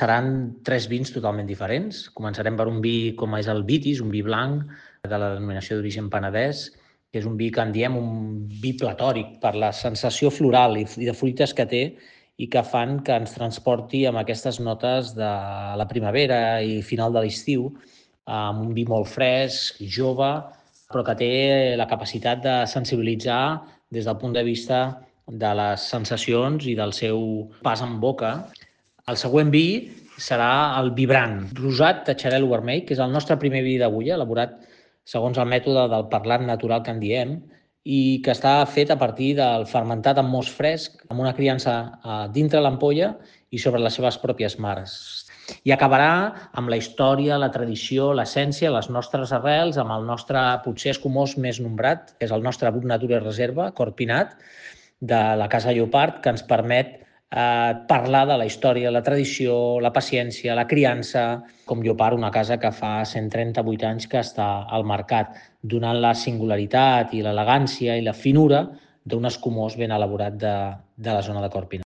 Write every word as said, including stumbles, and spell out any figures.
seran tres vins totalment diferents. Començarem per un vi com és el Vitis, un vi blanc de la denominació d'origen Penedès, que és un vi que en diem un vi platòric per la sensació floral i de fruites que té i que fan que ens transporti amb aquestes notes de la primavera i final de l'estiu, amb un vi molt fresc, jove, però que té la capacitat de sensibilitzar des del punt de vista de les sensacions i del seu pas en boca. El següent vi serà el Vibrant, rosat de xarel·lo vermell, que és el nostre primer vi d'agulla, elaborat segons el mètode del parlat natural que en diem, i que està fet a partir del fermentat en most fresc, amb una criança dintre l'ampolla i sobre les seves pròpies mares. I acabarà amb la història, la tradició, l'essència, les nostres arrels, amb el nostre potser escumós més nombrat, que és el nostre Brut Natura Reserva, Corpinat, de la Casa Llopart, que ens permet eh, parlar de la història, la tradició, la paciència, la criança, com Llopart, una casa que fa cent trenta-vuit anys que està al mercat, donant la singularitat i l'elegància i la finura d'un escumós ben elaborat de, de la zona de Corpinat.